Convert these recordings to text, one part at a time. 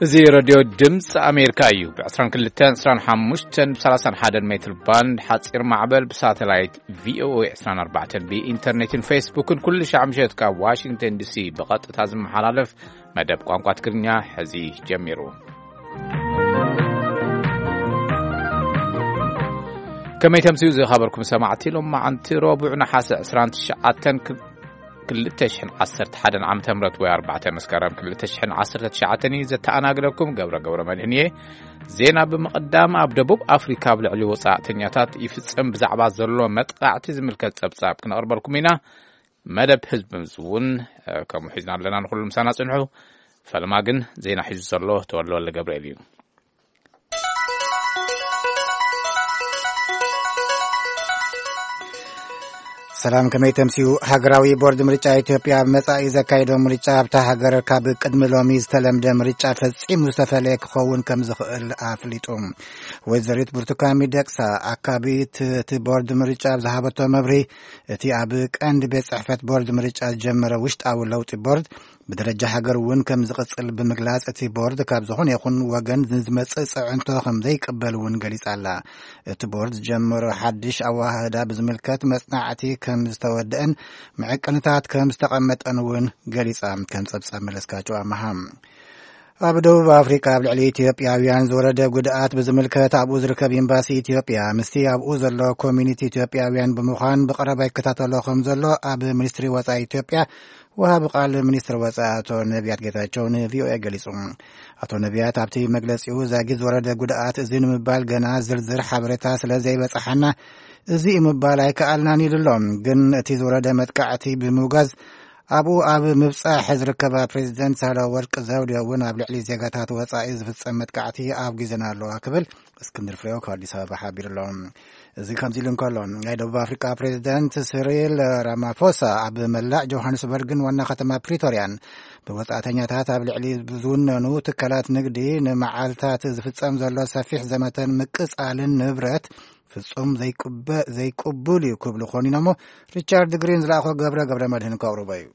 እዚ ረድዮ ድምፂ ኣሜሪካ እዩ። ብ22፣ 25፣ ብ31 ሜትር ባንድ ሓፂር ማዕበል፣ ብሳተላይት ቪኦኤ 24፣ ብኢንተርኔትን ፌስቡክን ኩሉ ሻዕ ምሸት ካብ ዋሽንግተን ዲሲ ብቐጥታ ዝመሓላለፍ መደብ ቋንቋ ትግርኛ ሕዚ ጀሚሩ። ከመይ ተምስዩ ዝኸበርኩም ሰማዕቲ፣ ሎም መዓንቲ ረቡዕ ነሓሰ 29 ክልተ ሽሕን ዓሰርተ ሓደን ዓመተ ምህረት ወይ ኣርባዕተ መስከረም ክልተ ሽሕን ዓሰርተ ትሽዓተን እዩ። ዘተኣናግደኩም ገብረ ገብረ መድህን እየ። ዜና ብምቕዳም፣ ኣብ ደቡብ ኣፍሪካ ኣብ ልዕሊ ወጻእተኛታት ይፍጸም ብዛዕባ ዘሎ መጥቃዕቲ ዝምልከት ጸብጻብ ክነቕርበልኩም ኢና። መደብ ህዝቢ ምስ እውን፣ እ፣ ከምኡ ሒዝና ኣለና። ንኹሉ ምሳና ጽንሑ። ፈለማ ግን ዜና ሒዙ ዘሎ ተወልደ ወልደ ገብርኤል እዩ። ሰላም፣ ከመይ ተምስዩ? ሃገራዊ ቦርድ ምርጫ ኢትዮጵያ ኣብ መጻኢ ዘካየዶ ምርጫ ኣብታ ሃገር ካብ ቅድሚ ሎሚ ዝተለምደ ምርጫ ፈጺሙ ዝተፈለየ ክኸውን ከም ዝኽእል ኣፍሊጡ። ወይዘሪት ብርቱካን ሚደቅሳ፣ ኣካቢት እቲ ቦርድ ምርጫ፣ ኣብ ዝሃበቶ መብርሂ፣ እቲ ኣብ ቀንዲ ቤት ጽሕፈት ቦርድ ምርጫ ዝጀመረ ውሽጣዊ ለውጢ ቦርድ ብደረጃ ሃገር እውን ከም ዝቕጽል ብምግላጽ፣ እቲ ቦርድ ካብ ዝኾነ ይኹን ወገን ንዝመጽእ ጽዕንቶ ከም ዘይቅበል እውን ገሊጻ ኣላ። እቲ ቦርድ ዝጀመሮ ሓድሽ ኣወሃህዳ ብዝምልከት መጽናዕቲ ከም ዝተወደአን መዐቀንታት ከም ዝተቐመጠን እውን ገሊጻ። ከም ጸብጻብ መለስካቸው ኣመሃ። ኣብ ደቡብ ኣፍሪካ ኣብ ልዕሊ ኢትዮጵያውያን ዝወረደ ጉድኣት ብዝምልከት፣ ኣብኡ ዝርከብ ኤምባሲ ኢትዮጵያ ምስቲ ኣብኡ ዘሎ ኮሚኒቲ ኢትዮጵያውያን ብምዃን ብቐረባ ይከታተሎ ከም ዘሎ ኣብ ሚኒስትሪ ወጻኢ ኢትዮጵያ ወሃቢ ቃል ሚኒስትር ወጻኢ ኣቶ ነቢያት ጌታቸው ንቪኦኤ ገሊጹ። ኣቶ ነቢያት ኣብቲ መግለጺኡ፣ ዛጊት ዝወረደ ጉድኣት እዚ ንምባል ገና ዝርዝር ሓበሬታ ስለ ዘይበጻሓና፣ እዚ እዩ ምባል ኣይከኣልናን ኢሉ ኣሎ። ግን እቲ ዝወረደ መጥቃዕቲ ብምውጋዝ፣ ኣብኡ ኣብ ምብጻሕ ዝርከባ ፕሬዚደንት ሳህለወርቅ ዘውዴ እውን ኣብ ልዕሊ ዜጋታት ወጻኢ ዝፍጸም መጥቃዕቲ ኣውጊዘና ኣለዋ ክብል እስክንድር ፍሬው ካብ ኣዲስ ኣበባ ሓቢሩ ኣሎ። እዚ ከምዚ ኢሉ እንከሎ፣ ናይ ደቡብ ኣፍሪካ ፕሬዚደንት ሲሪል ራማፎሳ ኣብ መላእ ጆሃንስበርግን ዋና ከተማ ፕሪቶርያን ብወጻእተኛታት ኣብ ልዕሊ ዝውነኑ ትካላት ንግዲ ንመዓልታት ዝፍጸም ዘሎ ሰፊሕ ዘመተን ምቅጻልን ንብረት ፍጹም ዘይቅበ-፣ ዘይቅቡል እዩ ክብሉ ኮኒኖሞ። ሪቻርድ ግሪን ዝለኣኾ ገብረ ገብረ መድህን ከቕርቦ እዩ።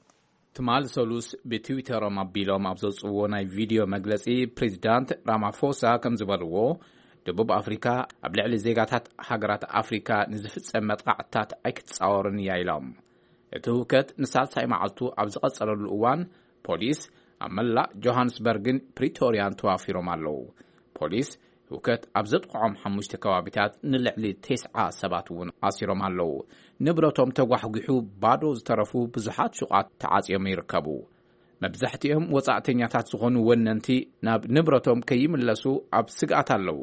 ትማል ሰሉስ ብትዊተሮም ኣቢሎም ኣብ ዘውፅዎ ናይ ቪድዮ መግለፂ፣ ፕሬዚዳንት ራማፎሳ ከም ዝበልዎ፣ ደቡብ ኣፍሪካ ኣብ ልዕሊ ዜጋታት ሃገራት ኣፍሪካ ንዝፍጸም መጥቃዕትታት ኣይክትፃወርን እያ ኢሎም። እቲ ህውከት ንሳልሳይ መዓልቱ ኣብ ዝቐጸለሉ እዋን፣ ፖሊስ ኣብ መላእ ጆሃንስበርግን ፕሪቶርያን ተዋፊሮም ኣለዉ። ፖሊስ ህውከት ኣብ ዘጥቕዖም ሓሙሽተ ከባቢታት ንልዕሊ ተስዓ ሰባት እውን ኣሲሮም ኣለዉ። ንብረቶም ተጓሕጒሑ ባዶ ዝተረፉ ብዙሓት ሹቓት ተዓጽዮም ይርከቡ። መብዛሕትኦም ወጻእተኛታት ዝኾኑ ወነንቲ ናብ ንብረቶም ከይምለሱ ኣብ ስግኣት ኣለዉ።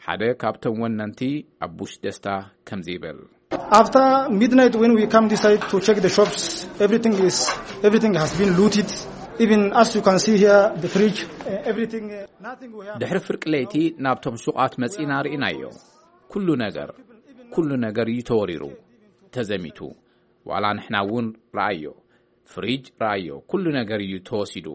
ሓደ ካብቶም ወነንቲ ኣቡሽ ደስታ ከምዚ ይብል። After midnight, when we come this side to check the shops, everything is, everything has been looted. Even as you can see here, the fridge, uh, everything, uh, nothing we have. ድሕሪ ፍርቂ ለይቲ ናብቶም ሹቓት መጺና ርኢናዮ። ኩሉ ነገር፣ ኩሉ ነገር እዩ ተወሪሩ፣ ተዘሚቱ። ዋላ ንሕና እውን ረኣዮ። ፍሪጅ ረኣዮ፣ ኩሉ ነገር እዩ ተወሲዱ።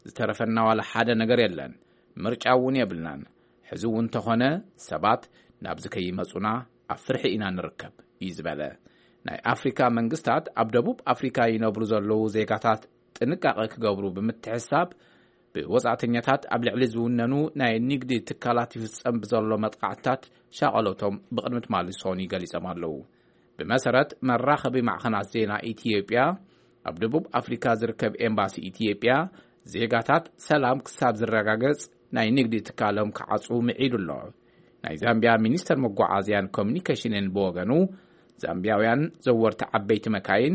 ዝተረፈና ዋላ ሓደ ነገር የለን። ምርጫ እውን የብልናን። ሕዚ እውን እንተኾነ ሰባት ናብዚ ከይመጹና ኣብ ፍርሒ ኢና ንርከብ እዩ ዝበለ። ናይ ኣፍሪካ መንግስታት ኣብ ደቡብ ኣፍሪካ ይነብሩ ዘለዉ ዜጋታት ጥንቃቐ ክገብሩ ብምትሕሳብ፣ ብወጻእተኛታት ኣብ ልዕሊ ዝውነኑ ናይ ንግዲ ትካላት ይፍጸም ብዘሎ መጥቃዕትታት ሻቐሎቶም ብቕድሚ ትማሊ ሰኑይ ገሊጾም ኣለዉ። ብመሰረት መራኸቢ ማዕኸናት ዜና ኢትዮጵያ፣ ኣብ ደቡብ ኣፍሪካ ዝርከብ ኤምባሲ ኢትዮጵያ፣ ዜጋታት ሰላም ክሳብ ዝረጋገጽ ናይ ንግዲ ትካሎም ክዓጽዉ ምዒዱ ኣሎ። ናይ ዛምቢያ ሚኒስተር መጓዓዝያን ኮሚኒኬሽንን ብወገኑ፣ ዛምቢያውያን ዘወርቲ ዓበይቲ መካይን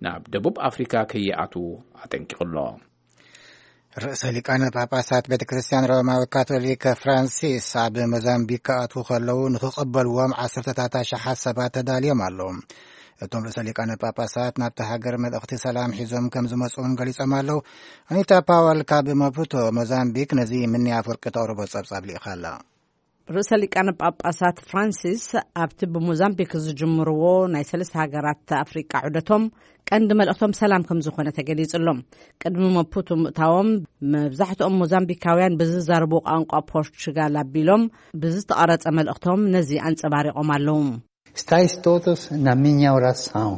ናብ ደቡብ ኣፍሪካ ከይኣትዉ ኣጠንቂቑ ኣሎ። ርእሰ ሊቃነ ጳጳሳት ቤተ ክርስቲያን ሮማዊ ካቶሊክ ፍራንሲስ ኣብ ሞዛምቢክ ክኣትዉ ከለዉ ንኽቕበልዎም ዓሰርተታት ኣሽሓት ሰባት ተዳልዮም ኣለዉ። እቶም ርእሰ ሊቃነ ጳጳሳት ናብቲ ሃገር መልእኽቲ ሰላም ሒዞም ከም ዝመጹ እውን ገሊጾም ኣለዉ። ኣኒታ ፓወል ካብ ማፑቶ ሞዛምቢክ ነዚ ምንያ ኣፍወርቂ ተቕርቦ ጸብጻብ ልኢኻ ኣላ። ርእሰ ሊቃነ ጳጳሳት ፍራንሲስ ኣብቲ ብሞዛምቢክ ዝጅምርዎ ናይ ሰለስተ ሃገራት ኣፍሪቃ ዑደቶም ቀንዲ መልእኽቶም ሰላም ከም ዝኾነ ተገሊጹ ኣሎ። ቅድሚ መፑቱ ምእታዎም፣ መብዛሕትኦም ሞዛምቢካውያን ብዝዛረቡ ቋንቋ ፖርቹጋል ኣቢሎም ብዝተቐረጸ መልእኽቶም ነዚ ኣንጸባሪቖም ኣለዉ። Stais todos na minha oração.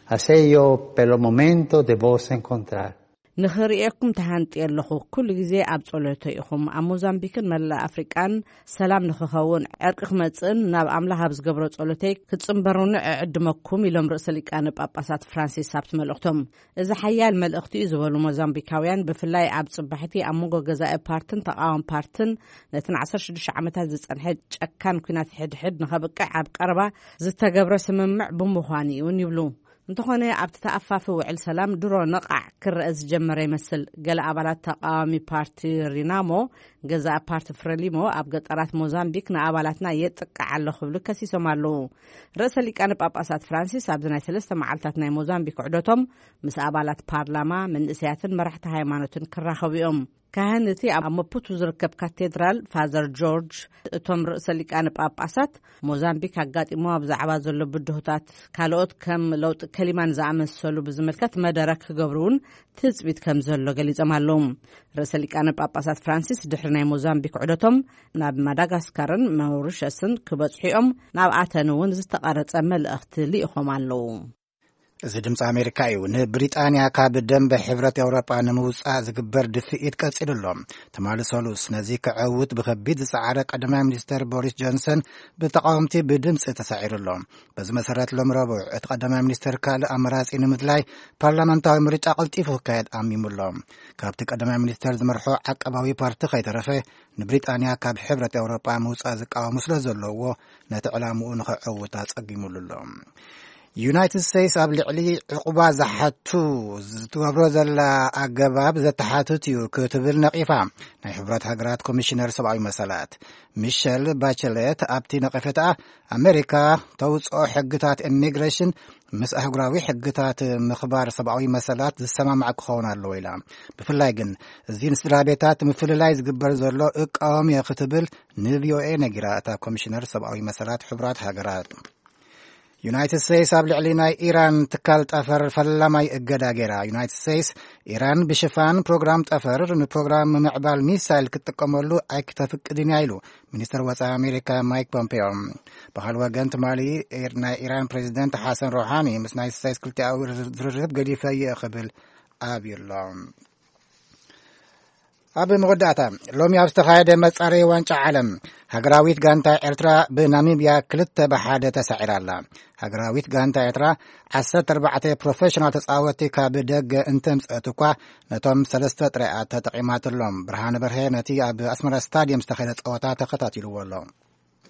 Assim eu, pelo momento, devo se encontrar. ንኽርእየኩም ተሃንጥየ ኣለኹ። ኩሉ ግዜ ኣብ ጸሎተይ ኢኹም። ኣብ ሞዛምቢክን መላእ ኣፍሪቃን ሰላም ንኽኸውን፣ ዕርቂ ክመጽእን ናብ ኣምላኽ ኣብ ዝገብሮ ጸሎተይ ክትጽንበሩኒ እዕድመኩም፣ ኢሎም ርእሰ ሊቃነ ጳጳሳት ፍራንሲስ ኣብቲ መልእኽቶም። እዚ ሓያል መልእኽቲ እዩ ዝበሉ ሞዛምቢካውያን፣ ብፍላይ ኣብ ጽባሕቲ ኣብ መንጎ ገዛኢ ፓርትን ተቓዋሚ ፓርትን ነቲ ን16 ዓመታት ዝጸንሐ ጨካን ኲናት ሕድሕድ ንኸብቅዕ ኣብ ቀረባ ዝተገብረ ስምምዕ ብምዃኑ እውን ይብሉ። እንተኾነ ኣብቲ ተኣፋፊ ውዕል ሰላም ድሮ ነቓዕ ክረአ ዝጀመረ ይመስል። ገለ ኣባላት ተቓዋሚ ፓርቲ ሪናሞ፣ ገዛኢ ፓርቲ ፍረሊሞ ኣብ ገጠራት ሞዛምቢክ ንኣባላትና የጥቅዕ ኣሎ ክብሉ ከሲሶም ኣለዉ። ርእሰ ሊቃነ ጳጳሳት ፍራንሲስ ኣብዚ ናይ ሰለስተ መዓልታት ናይ ሞዛምቢክ ዑደቶም ምስ ኣባላት ፓርላማ፣ መንእሰያትን መራሕቲ ሃይማኖትን ክራኸቡ እዮም። ካህን እቲ ኣብ መፑቱ ዝርከብ ካቴድራል ፋዘር ጆርጅ፣ እቶም ርእሰ ሊቃነ ጳጳሳት ሞዛምቢክ ኣጋጢሞ ኣብ ዛዕባ ዘሎ ብድሆታት፣ ካልኦት ከም ለውጢ ከሊማን ዝኣመሰሉ ብዝምልከት መደረ ክገብሩ እውን ትጽቢት ከም ዘሎ ገሊጾም ኣለዉ። ርእሰ ሊቃነ ጳጳሳት ፍራንሲስ ድሕሪ ናይ ሞዛምቢክ ዑደቶም ናብ ማዳጋስካርን ማውሪሸስን ክበጽሑ እዮም። ናብ ኣተን እውን ዝተቐረጸ መልእኽቲ ልኢኾም ኣለዉ። እዚ ድምፂ ኣሜሪካ እዩ። ንብሪጣንያ ካብ ደንበ ሕብረት ኤውሮጳ ንምውፃእ ዝግበር ድፍኢት ቀፂሉ ኣሎ። ትማሊ ሰሉስ ነዚ ክዐውት ብከቢድ ዝፀዓረ ቀዳማይ ሚኒስተር ቦሪስ ጆንሰን ብተቃወምቲ ብድምፂ ተሳዒሩ ኣሎ። በዚ መሰረት ሎም ረቡዕ እቲ ቀዳማይ ሚኒስተር ካልእ ኣመራፂ ንምድላይ ፓርላመንታዊ ምርጫ ቀልጢፉ ክካየድ ኣሚሙ ኣሎ። ካብቲ ቀዳማይ ሚኒስተር ዝመርሖ ዓቀባዊ ፓርቲ ከይተረፈ ንብሪጣንያ ካብ ሕብረት ኤውሮጳ ምውፃእ ዝቃወሙ ስለ ዘለውዎ ነቲ ዕላምኡ ንኸዐውት ኣፀጊሙሉ ኣሎ። ዩናይትድ ስቴትስ ኣብ ልዕሊ ዕቑባ ዝሓቱ ዝትገብሮ ዘላ ኣገባብ ዘተሓትት እዩ ክትብል ነቒፋ ናይ ሕቡራት ሃገራት ኮሚሽነር ሰብኣዊ መሰላት። ሚሸል ባቸለት ኣብቲ ነቐፌታ ኣሜሪካ ተውፅኦ ሕግታት ኢሚግሬሽን ምስ ኣህጉራዊ ሕግታት ምኽባር ሰብኣዊ መሰላት ዝሰማማዕ ክኸውን ኣለዎ ኢላ። ብፍላይ ግን እዚ ንስድራ ቤታት ምፍልላይ ዝግበር ዘሎ እቃወም እየ ክትብል ንቪኦኤ ነጊራ እታ ኮሚሽነር ሰብኣዊ መሰላት ሕቡራት ሃገራት። ዩናይትድ ስቴትስ ኣብ ልዕሊ ናይ ኢራን ትካል ጠፈር ፈላማይ እገዳ ገይራ። ዩናይትድ ስቴትስ ኢራን ብሽፋን ፕሮግራም ጠፈር ንፕሮግራም ምምዕባል ሚሳይል ክትጥቀመሉ ኣይክተፍቅድን እያ ኢሉ ሚኒስትር ወፃኢ ኣሜሪካ ማይክ ፖምፔዮ። ብኻል ወገን ትማሊ ናይ ኢራን ፕሬዚደንት ሓሰን ሮሃኒ ምስ ናይ ስቴትስ ክልቲኣዊ ዝርርብ ገዲፈ እየ ክብል ኣብዩ ኣሎ። ኣብ መወዳእታ ሎሚ ኣብ ዝተኻየደ መጻረይ ዋንጫ ዓለም ሃገራዊት ጋንታ ኤርትራ ብናሚብያ ክልተ ብሓደ ተሳዒራ ኣላ። ሃገራዊት ጋንታ ኤርትራ ዓሰርተ ኣርባዕተ ፕሮፌሽናል ተጻወትቲ ካብ ደገ እንተምጽአት እኳ ነቶም ሰለስተ ጥራይ እያ ተጠቒማትሎም። ብርሃነ በርሀ ነቲ ኣብ ኣስመራ ስታድየም ዝተኻየደ ጸወታ ተኸታቲልዎ ኣሎ።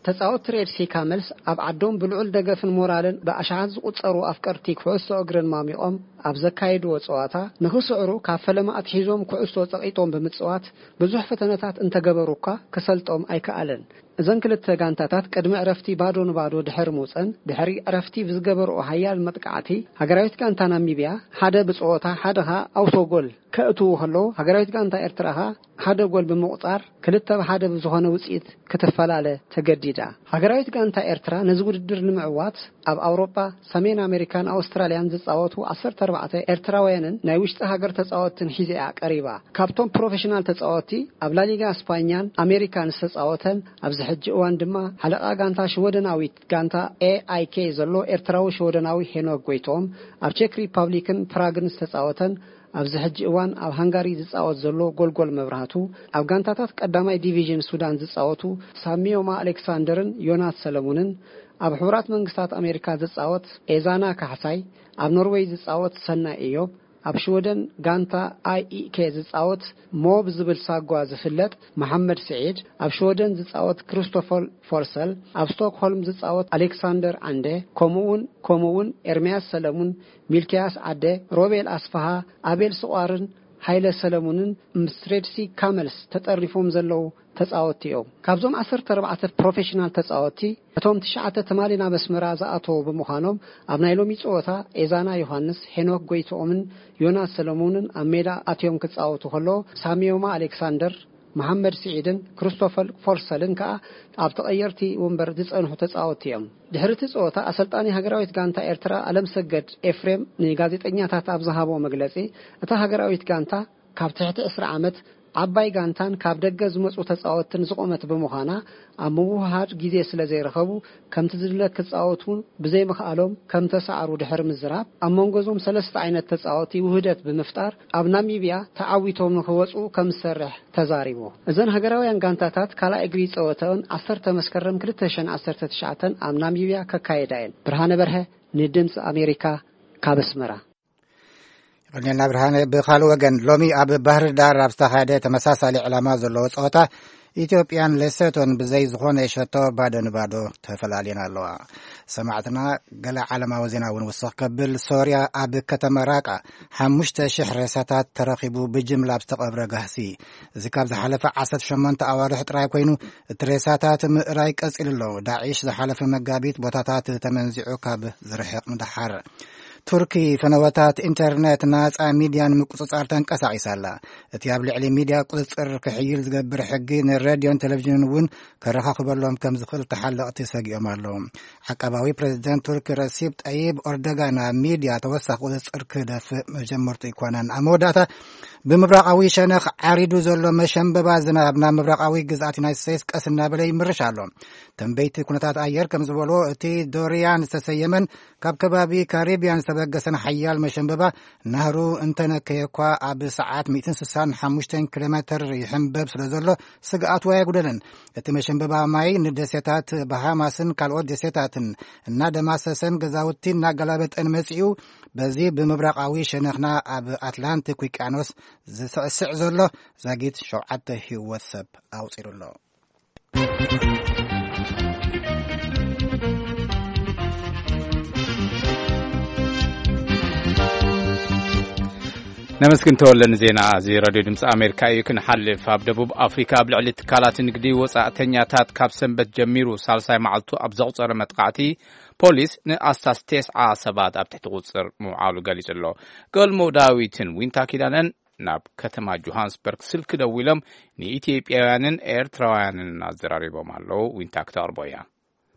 ተጻወትቲ ሬድሲ ካመልስ ኣብ ዓዶም ብልዑል ደገፍን ሞራልን ብኣሽሓት ዝቑጸሩ ኣፍቀርቲ ኩዕሶ እግርን ማሚቖም ኣብ ዘካየድዎ ጸዋታ ንኽስዕሩ ካብ ፈለማ ኣትሒዞም ኩዕሶ ጸቒጦም ብምጽዋት ብዙሕ ፈተነታት እንተገበሩ እኳ ክሰልጦም ኣይከኣለን። እዘን ክልተ ጋንታታት ቅድሚ ዕረፍቲ ባዶ ንባዶ ድሕሪ ምውጸን ድሕሪ ዕረፍቲ ብዝገበርኦ ሓያል መጥቃዕቲ ሃገራዊት ጋንታ ናሚብያ ሓደ ብጸወታ ሓደ ኸኣ ኣውቶ ጎል ከእትዉ ከለዉ ሃገራዊት ጋንታ ኤርትራ ኸኣ ሓደ ጎል ብምቑጻር ክልተ ብሓደ ብዝኾነ ውጽኢት ክትፈላለ ተገዲዳ። ሃገራዊት ጋንታ ኤርትራ ነዚ ውድድር ንምዕዋት ኣብ ኣውሮጳ፣ ሰሜን ኣሜሪካን ኣውስትራልያን ዝጻወቱ ዓሰርተ ኣርባዕተ ኤርትራውያንን ናይ ውሽጢ ሃገር ተጻወትን ሒዛ እያ ቀሪባ። ካብቶም ፕሮፌሽናል ተጻወቲ ኣብ ላሊጋ ስፓኛን ኣሜሪካን ዝተጻወተን ኣብዚ ሕጂ እዋን ድማ ሓለቓ ጋንታ ሽወደናዊት ጋንታ ኤ ኣይ ኬ ዘሎ ኤርትራዊ ሽወደናዊ ሄኖክ ጎይትኦም ኣብ ቼክ ሪፓብሊክን ፕራግን ዝተጻወተን ኣብዚ ሕጂ እዋን ኣብ ሃንጋሪ ዝጻወት ዘሎ ጎልጎል መብራህቱ፣ ኣብ ጋንታታት ቀዳማይ ዲቪዥን ሱዳን ዝጻወቱ ሳሚዮማ ኣሌክሳንደርን ዮናስ ሰለሙንን፣ ኣብ ሕቡራት መንግስታት ኣሜሪካ ዝጻወት ኤዛና ካሕሳይ፣ ኣብ ኖርዌይ ዝጻወት ሰናይ እዮብ፣ ኣብ ሽወደን ጋንታ ኣይ ኢ ኬ ዝጻወት ሞ ብዝብል ሳጓ ዝፍለጥ መሓመድ ስዒድ፣ ኣብ ሽወደን ዝጻወት ክሪስቶፈር ፎርሰል፣ ኣብ ስቶክሆልም ዝጻወት ኣሌክሳንደር ዓንደ፣ ከምኡውን ከምኡውን ኤርምያስ ሰለሙን፣ ሚልክያስ ዓደ፣ ሮቤል ኣስፍሃ፣ ኣቤል ስቋርን ሃይለ ሰለሙንን ምስ ሬድሲ ካመልስ ተጠርኒፎም ዘለዉ ተጻወትቲ እዮም። ካብዞም ዓሰርተ ኣርባዕተ ፕሮፌሽናል ተጻወትቲ፣ እቶም ትሽዓተ ትማሊ ናብ ኣስመራ ዝኣተዉ ብምዃኖም፣ ኣብ ናይ ሎሚ ጸወታ ኤዛና ዮሃንስ፣ ሄኖክ ጎይትኦምን ዮናስ ሰለሙንን ኣብ ሜዳ ኣትዮም ክጻወቱ ከለዉ፣ ሳሚዮማ ኣሌክሳንደር፣ መሓመድ ስዒድን ክሪስቶፈር ፎርሰልን ከኣ ኣብ ተቐየርቲ ወንበር ዝጸንሑ ተጻወትቲ እዮም። ድሕሪ እቲ ጸወታ፣ ኣሰልጣኒ ሃገራዊት ጋንታ ኤርትራ ኣለምሰገድ ኤፍሬም ንጋዜጠኛታት ኣብ ዝሃቦ መግለጺ፣ እታ ሃገራዊት ጋንታ ካብ ትሕቲ ዕስራ ዓመት ዓባይ ጋንታን ካብ ደገ ዝመጹ ተጻወትትን ዝቖመት ብምዃና፣ ኣብ ምውህሃድ ግዜ ስለ ዘይረኸቡ፣ ከምቲ ዝድለ ክጻወቱ ብዘይምኽኣሎም ከም ተሳዕሩ ድሕሪ ምዝራብ፣ ኣብ መንጎ እዞም ሰለስተ ዓይነት ተጻወቲ ውህደት ብምፍጣር፣ ኣብ ናሚብያ ተዓዊቶም ንኽወጹ ከም ዝሰርሕ ተዛሪቡ። እዘን ሃገራውያን ጋንታታት ካልኣይ እግሪ ጸወተኦን ዓሰርተ መስከረም ክልተ ሽሕን ዓሰርተ ትሽዓተን ኣብ ናሚብያ ከካየዳ እየን። ብርሃነ በርሀ፣ ንድምጺ ኣሜሪካ፣ ካብ ኣስመራ። ይቐንየልና ብርሃነ። ብኻልእ ወገን፣ ሎሚ ኣብ ባህር ዳር ኣብ ዝተኻየደ ተመሳሳሊ ዕላማ ዘለዎ ጸወታ፣ ኢትዮጵያን ሌሶቶን ብዘይ ዝኾነ ሸቶ ባዶ ንባዶ ተፈላልየን ኣለዋ። ሰማዕትና፣ ገለ ዓለማዊ ዜና እውን ውስኽ ከብል፣ ሶርያ ኣብ ከተማ ራቃ ሓሙሽተ ሽሕ ሬሳታት ተረኺቡ፣ ብጅምላ ኣብ ዝተቐብረ ጋህሲ። እዚ ካብ ዝሓለፈ ዓሰርተ ሸሞንተ ኣዋርሕ ጥራይ ኮይኑ፣ እቲ ሬሳታት ምእራይ ቀጺሉ ኣሎ። ዳዒሽ ዝሓለፈ መጋቢት ቦታታት ተመንዚዑ ካብ ዝርሕቕ ንደሓር። ቱርኪ ፈነወታት ኢንተርነት፣ ናጻ ሚድያ ንምቁጽጻር ተንቀሳቒሳ ኣላ። እቲ ኣብ ልዕሊ ሚድያ ቁጽጽር ክሕይል ዝገብር ሕጊ ንሬድዮን ቴሌቪዥንን እውን ከረኻኽበሎም ከም ዝኽእል ተሓለቕቲ ሰጊኦም ኣለዉ። ዓቃባዊ ፕሬዚደንት ቱርኪ ረሲፕ ጠይብ ኦርዶጋን ኣብ ሚድያ ተወሳኺ ቁጽጽር ክደፍእ መጀመርቱ ኣይኮነን። ኣብ መወዳእታ፣ ብምብራቓዊ ሸነኽ ዓሪዱ ዘሎ መሸንበባ ዝናብ ናብ ምብራቓዊ ግዝኣት ዩናይትድ ስቴትስ ቀስ እናበለ ይምርሽ ኣሎ። ተንበይቲ ኩነታት ኣየር ከም ዝበልዎ፣ እቲ ዶሪያን ዝተሰየመን ካብ ከባቢ ካሪቢያን ዝተበገሰን ሓያል መሸንበባ፣ ናህሩ እንተነከየ እኳ፣ ኣብ ሰዓት ሚእትን ስሳን ሓሙሽተን ኪሎ ሜተር ይሕንበብ ስለ ዘሎ፣ ስግኣቱ ኣየጉደለን። እቲ መሸንበባ ማይ ንደሴታት ባሃማስን ካልኦት ደሴታትን እናደማሰሰን ገዛውቲ እናገላበጠን መጺኡ፣ በዚ ብምብራቓዊ ሸነኽና ኣብ ኣትላንቲክ ውቅያኖስ ዝስዕስዕ ዘሎ ዛጊት ሸውዓተ ህይወት ሰብ ኣውጺሩ ኣሎ። ነመስግን ተወለ ንዜና እዚ ራድዮ ድምፂ ኣሜሪካ እዩ። ክንሓልፍ፣ ኣብ ደቡብ ኣፍሪካ ኣብ ልዕሊ ትካላት ንግዲ ወፃእተኛታት ካብ ሰንበት ጀሚሩ ሳልሳይ መዓልቱ ኣብ ዘቑፀረ መጥቃዕቲ፣ ፖሊስ ንኣስታት ተስዓ ሰባት ኣብ ትሕቲ ቁፅፅር ምውዓሉ ገሊፁ ኣሎ። ገልሞ ዳዊትን ዊንታ ኪዳነን ናብ ከተማ ጆሃንስበርግ ስልኪ ደዊሎም ንኢትዮጵያውያንን ኤርትራውያንን ኣዘራሪቦም ኣለዉ። ዊንታ ክተቕርቦ እያ።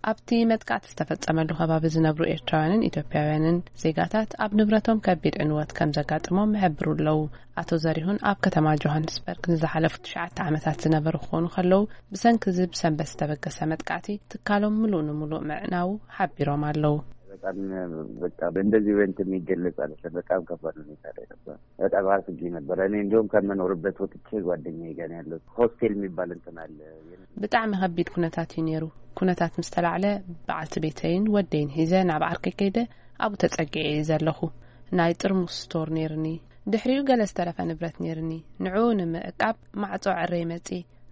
ኣብቲ መጥቃዕቲ ዝተፈጸመሉ ከባቢ ዝነብሩ ኤርትራውያንን ኢትዮጵያውያንን ዜጋታት ኣብ ንብረቶም ከቢድ ዕንወት ከም ዘጋጥሞም ይሕብሩ ኣለዉ። ኣቶ ዘሪሁን ኣብ ከተማ ጆሃንስበርግ ንዝሓለፉ ትሽዓተ ዓመታት ዝነበሩ ክኾኑ ከለዉ፣ ብሰንኪ እዚ ብሰንበት ዝተበገሰ መጥቃዕቲ ትካሎም ምሉእ ንምሉእ ምዕናዉ ሓቢሮም ኣለዉ። በጣም በቃ በእንደዚህ ኢቨንት የሚገለጽ አይደለም። በጣም ከባድ ሁኔታ ላይ ነበር። በጣም አስጊ ነበር። እኔ እንዲሁም ከምኖርበት ወጥቼ ጓደኛዬ ጋር ነው ያለሁት። ሆስቴል የሚባል እንትን አለ። ብጣዕሚ ከቢድ ኩነታት እዩ ነይሩ። ኩነታት ምስ ተላዕለ፣ በዓልቲ ቤተይን ወደይን ሒዘ ናብ ዓርከይ ከይደ ኣብኡ ተጸጊዐ እየ ዘለኹ። ናይ ጥርሙስ ስቶር ነይርኒ። ድሕሪኡ ገለ ዝተረፈ ንብረት ነይርኒ። ንዕኡ ንምዕቃብ ማዕጾ ዕረይ መጺ።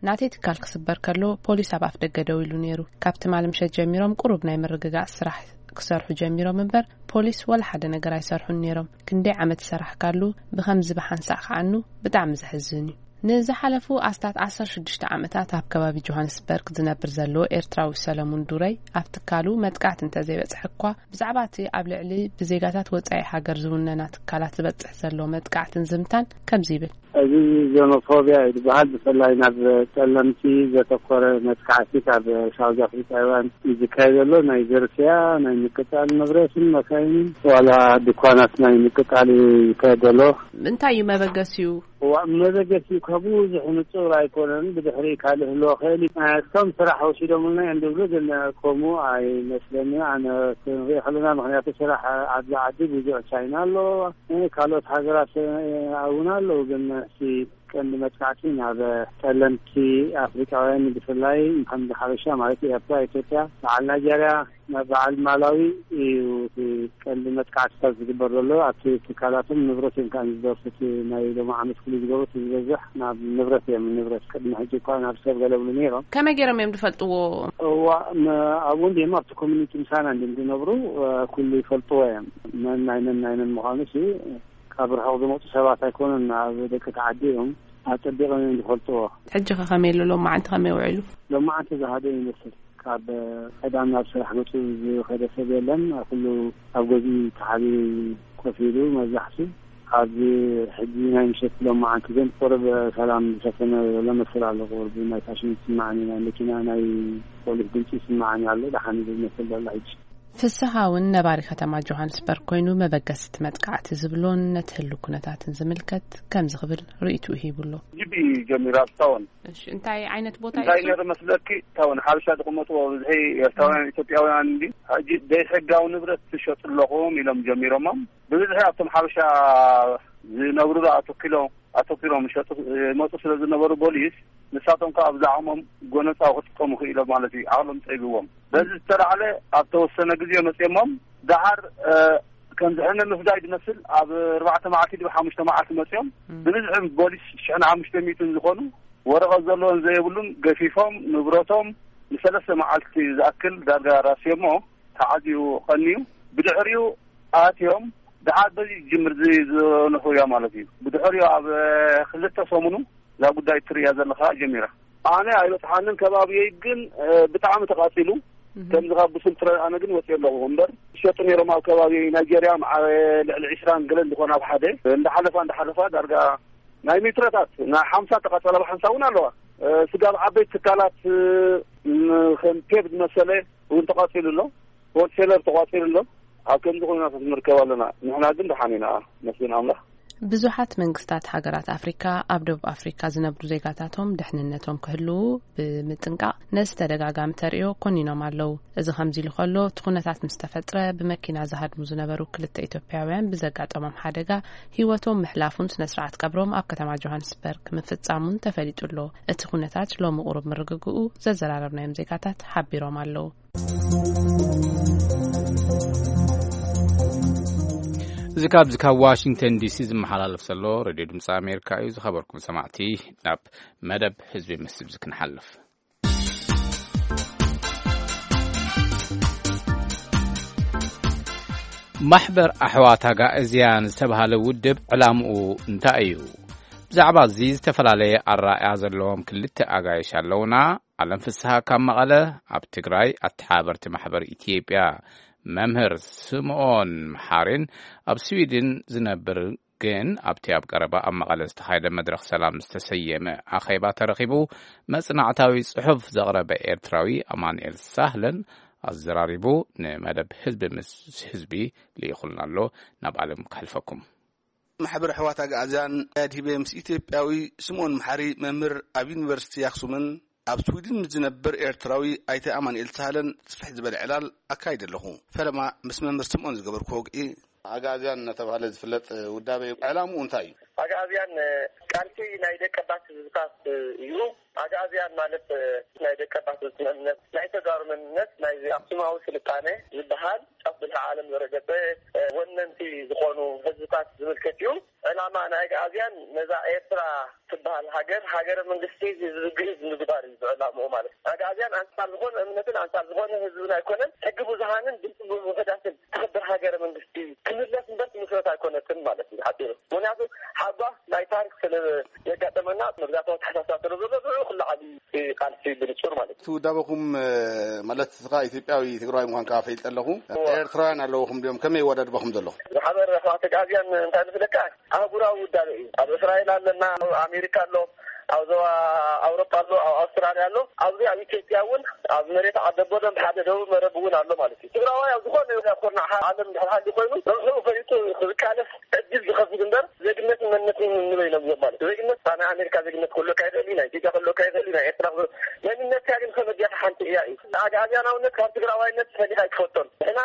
ናተይ ትካል ክስበር ከሎ ፖሊስ ኣብ ኣፍ ደገ ደው ኢሉ ነይሩ። ካብ ትማሊ ምሸት ጀሚሮም ቁሩብ ናይ ምርግጋጽ ስራሕ ክሰርሑ ጀሚሮም እምበር፣ ፖሊስ ወላ ሓደ ነገር ኣይሰርሑን ነይሮም። ክንደይ ዓመት ዝሰራሕካሉ ብኸምዚ ብሓንሳእ ክዓኑ ብጣዕሚ ዘሕዝን እዩ። ንዝሓለፉ ኣስታት ዓሰርተ ሽዱሽተ ዓመታት ኣብ ከባቢ ጆሃንስበርግ ዝነብር ዘሎ ኤርትራዊ ሰለሙን ዱረይ፣ ኣብ ትካሉ መጥቃዕቲ እንተዘይበጽሐ እኳ፣ ብዛዕባ እቲ ኣብ ልዕሊ ብዜጋታት ወጻኢ ሃገር ዝውነና ትካላት ዝበጽሕ ዘሎ መጥቃዕትን ዝምታን ከምዚ ይብል። እዚ ዜኖፎብያ እዩ ዝበሃል። ብፍላይ ናብ ጸለምቲ ዘተኮረ መጥቃዕቲ ካብ ሳውዝ ኣፍሪካውያን እዩ ዝካየድ ዘሎ። ናይ ዝርፍያ፣ ናይ ምቅጻል ንብረትን መካይንን፣ ዋላ ድኳናት ናይ ምቅጻል እዩ ዝካየድ ዘሎ። እንታይ እዩ መበገሲኡ? እዋ፣ መበገሲኡ ካብ ብዙሕ ንጹር ኣይኮነን። ብድሕሪ ካልእ ህልዎ ኽእል እዩ። እቶም ስራሕ ወሲዶምልና እዮም ዝብሉ፣ ግን ከምኡ ኣይመስለኒ ኣነ ክንሪኦ ከለና። ምኽንያቱ ስራሕ ኣብዚ ዓዲ ብዙሕ ቻይና ኣሎ፣ ካልኦት ሃገራት እውን ኣለዉ። ግን እቲ ቀንዲ መጥቃዕቲ ናብ ጸለምቲ ኣፍሪቃውያን ብፍላይ ከም ሓበሻ ማለት ኤርትራ፣ ኢትዮጵያ፣ በዓል ናይጀርያ፣ ናብ በዓል ማላዊ እዩ እቲ ቀንዲ መጥቃዕትታት ዝግበር ዘሎ። ኣብቲ ትካላቶም ንብረት እዮም ከዓ ዝደርፉ። እቲ ናይ ሎሚ ዓመት ፍሉይ ዝገብሩ እቲ ዝበዝሕ ናብ ንብረት እዮም። ንብረት ቅድሚ ሕጂ እኳ ናብ ሰብ ገለ ብሉ ነይሮም። ከመይ ገይሮም እዮም ዝፈልጥዎ? እዋ፣ ም-፣ ኣብኡ እንዲም ኣብቲ ኮሚኒቲ ምሳና እንዲም ዝነብሩ፣ እ፣ ኩሉ ይፈልጥዎ እዮም። መን ናይ መን ናይ መን ምዃኑ ሲ ካብ ርሑቕ ዝመፁ ሰባት ኣይኮኑን። ኣብ ደቂ ተዓዲ እዮም። ኣጸቢቖም እዮም ዝፈልጥዎ። ሕጂ ከ ከመይ ኣሎ? ሎማዓንቲ ከመይ ውዒሉ? ሎማዓንቲ ዝሃደ ይመስል። ካብ ቀዳም ናብ ስራሕ መፁ ዝኸደ ሰብ የለን። ኩሉ ኣብ ገዝኡ ተሓቢኡ ኮፍ ኢሉ መብዛሕቱ። ኣብዚ ሕጂ ናይ ምሸት ሎማዓንቲ ግን ቁሩብ ሰላም ዝሰፈነ ዘሎ መስል ኣሎ። ቁሩብ ናይ ፋሽን ይስማዓኒ፣ ናይ መኪና ናይ ፖሊስ ድምፂ ይስማዓኒ ኣሎ። ደሓን ዝመስል ዘሎ ሕጂ። ፍስሃ እውን ነባሪ ከተማ ጆሃንስበርግ ኮይኑ፣ መበገሲ እቲ መጥቃዕቲ ዝብሎን ነቲ ህሉ ኩነታትን ዝምልከት ከምዚ ክብል ርእይትኡ ሂቡ ኣሎ። ጅቢ ጀሚራ እስካሁን። እሺ፣ እንታይ ዓይነት ቦታ እንታይ እዩ? ነይሩ መስለኪ? እስካሁን ሓበሻ ዝቕመጥዎ ብዝሒ ኤርትራውያን፣ ኢትዮጵያውያን እንዲ ሕጂ ዘይሕጋዊ ንብረት ትሸጡ ኣለኹም ኢሎም ጀሚሮሞም። ብብዝሒ ኣብቶም ሓበሻ ዝነብሩ ኣተኪሎም ኣተኪሎም ይሸጡ ይመፁ ስለ ዝነበሩ፣ ፖሊስ ንሳቶም ከዓ ብዛዕሞም ጎነፃዊ ክጥቀሙ ክኢሎም ማለት እዩ። ዓቕሎም ፀቢዎም። በዚ ዝተላዕለ ኣብ ተወሰነ ግዜ መፅኦሞም። ደሓር ከም ዝሕነ ምፍዳይ ዝመስል ኣብ ኣርባዕተ መዓልቲ ድብ ሓሙሽተ መዓልቲ መፅኦም። ብብዝሒ ፖሊስ ሽሕን ሓሙሽተ ሚእትን ዝኾኑ፣ ወረቐት ዘለዎን ዘይብሉን ገፊፎም ንብረቶም ንሰለስተ መዓልቲ ዝኣክል ዳርጋ ራስዮሞ ተዓዝዩ ቀንዩ። ብድሕሪኡ ኣትዮም። ደሓር በዚ ጅምር ዝነኹ እያ ማለት እዩ። ብድሕሪኡ ኣብ ክልተ ሰሙኑ እዛ ጉዳይ ትርእያ ዘለኻ ጀሚራ። ኣነ ኣይበፅሓንን፣ ከባቢየይ ግን ብጣዕሚ ተቓፂሉ። ከምዚ ካብ ብስልትረ ኣነ ግን ወፅየ ኣለኹ እምበር፣ ዝሸጡ ነይሮም ኣብ ከባቢ ናይጀርያ፣ መዓ ልዕሊ ዕስራን ገለን ዝኾነ ኣብ ሓደ እንዳሓለፋ እንዳሓለፋ ዳርጋ ናይ ሚትረታት ናይ ሓምሳ ተቓፀላ ብሓንሳ እውን ኣለዋ። ስጋብ ዓበይቲ ትካላት ከም ፔብ ዝመሰለ እውን ተቓፂሉ ኣሎ። ሆልሴለር ተቋፂሩ ኣሎ። ኣብ ከምዚ ኩነታት ንርከብ ኣለና። ንሕና ግን ደሓን ኢና፣ መስገን ኣምላኽ። ብዙሓት መንግስታት ሃገራት ኣፍሪካ ኣብ ደቡብ ኣፍሪካ ዝነብሩ ዜጋታቶም ድሕንነቶም ክህልዉ ብምጥንቃቕ ነዚ ተደጋጋሚ ተርእዮ ኮኒኖም ኣለዉ። እዚ ከምዚ ኢሉ ከሎ፣ እቲ ኩነታት ምስ ተፈጥረ ብመኪና ዝሃድሙ ዝነበሩ ክልተ ኢትዮጵያውያን ብዘጋጠሞም ሓደጋ ህይወቶም ምሕላፉን ስነ ስርዓት ቀብሮም ኣብ ከተማ ጆሃንስበርግ ምፍጻሙን ተፈሊጡ ኣሎ። እቲ ኩነታት ሎሚ ቁሩብ ምርግግኡ ዘዘራረብናዮም ዜጋታት ሓቢሮም ኣለዉ። እዚ ካብዚ ካብ ዋሽንግተን ዲሲ ዝመሓላለፍ ዘሎ ሬድዮ ድምፂ ኣሜሪካ እዩ። ዝኸበርኩም ሰማዕቲ፣ ናብ መደብ ህዝቢ ምስ ህዝቢ ክንሓልፍ። ማሕበር ኣሕዋት ኣጋእዝያን ዝተባህለ ውድብ ዕላምኡ እንታይ እዩ? ብዛዕባ እዚ ዝተፈላለየ ኣረኣእያ ዘለዎም ክልተ ኣጋይሽ ኣለውና። ኣለም ፍስሃ ካብ መቐለ፣ ኣብ ትግራይ ኣተሓባበርቲ ማሕበር ኢትዮጵያ መምህር ስምኦን መሓሪን ኣብ ስዊድን ዝነብር ግን ኣብቲ ኣብ ቀረባ ኣብ መቐለ ዝተኻየደ መድረኽ ሰላም ዝተሰየመ ኣኼባ ተረኺቡ መጽናዕታዊ ጽሑፍ ዘቕረበ ኤርትራዊ ኣማኑኤል ሳህለን ኣዘራሪቡ ንመደብ ህዝቢ ምስ ህዝቢ ልኢኹልና ኣሎ። ናብ ኣለም ከሕልፈኩም። ማሕበር ኣሕዋት ኣግኣዝያን ኣድሂበ ምስ ኢትዮጵያዊ ስምኦን መሓሪ መምህር ኣብ ዩኒቨርሲቲ ኣክሱምን ኣብ ስዊድን ምስ ዝነብር ኤርትራዊ ኣይተ ኣማኑኤል ሳህለን ስፍሕ ዝበለ ዕላል ኣካይደ ኣለኹ። ፈለማ ምስ መምህር ስምኦን ዝገበርኩ ወግዒ። ኣግኣዝያን እናተባህለ ዝፍለጥ ውዳበ ዕላምኡ እንታይ እዩ? ኣግኣዝያን ቃልሲ ናይ ደቀባት ህዝብታት እዩ። ኣግኣዝያን ማለት ናይ ደቀባት ህዝቢ መንነት፣ ናይ ተጋሩ መንነት፣ ናይ ኣክሱማዊ ስልጣነ ዝበሃል ጫፍ ብልሒ ዓለም ዘረገጸ ወነንቲ ዝኾኑ ህዝብታት ዝምልከት እዩ። ዕላማ ናይ ኣግኣዝያን ነዛ ኤርትራ ትበሃል ሃገር፣ ሃገረ መንግስቲ ህዝቢ ግእዝ ምግባር እዩ ዕላምኡ ማለት እዩ። ኣግኣዝያን ኣንጻር ዝኾነ እምነትን ኣንጻር ዝኾነ ህዝብን ኣይኮነን፣ ሕጊ ብዙሃንን ድምፂ ውሑዳትን ተኸብር ሃገረ መንግስቲ ክምለስ እምበር ትምስረት ኣይኮነትን ማለት እዩ ሓፂሩ። ምክንያቱ ሓጓፍ ናይ ታሪክ ስለ ዘጋጠመና መግዛእታዊ ኣተሓሳስባ ስለ ዘሎ ንዕኡ ክለዓል እዩ እቲ ቃልሲ ብንጹር ማለት እዩ። እቲ ውዳበኹም ማለት እስኻ ኢትዮጵያዊ ትግራዋይ ምዃንካ ፈልጠ ኣለኹ። እወ። ኤርትራውያን ኣለውኹም ድዮም? ከመይ ይወዳድበኹም ዘሎ? ማሕበር ኣሕዋት ኣግኣዝያን እንታይ ዝፍለካ ኣህጉራዊ ውዳበ እዩ። ኣብ እስራኤል ኣለና፣ ኣብ ኣሜሪካ ኣሎ፣ ኣብ ዞባ ኣውሮጳ ኣሎ፣ ኣብ ኣውስትራልያ ኣሎ። ኣብዚ ኣብ ኢትዮጵያ እውን ኣብ መሬት ዓደቦ ደም ሓደ ደቡብ መረብ እውን ኣሎ ማለት እዩ። ትግራዋይ ኣብ ዝኾነ ይኹን ኩርናዕ ዓለም ድሕር ሃሊ ኮይኑ ረብሕኡ ፈሊጡ ዝቃለስ ዕድል ዝኸፍት እምበር ዜግነትን መንነትን ንበይኖም እዮም ማለት እዩ። ዜግነት ናይ ኣሜሪካ ዜግነት ክህልወካ ይኽእል እዩ፣ ናይ ኢትዮጵያ ክህልወካ ይኽእል እዩ፣ ናይ ኤርትራ ክህልወ-፣ መንነትካ ግን ከመይ ጌርካ ሓንቲ እያ እዩ። ኣግኣዝያናውነት ካብ ትግራዋይነት ፈሊኻ ኣይትፈልጦን። ንሕና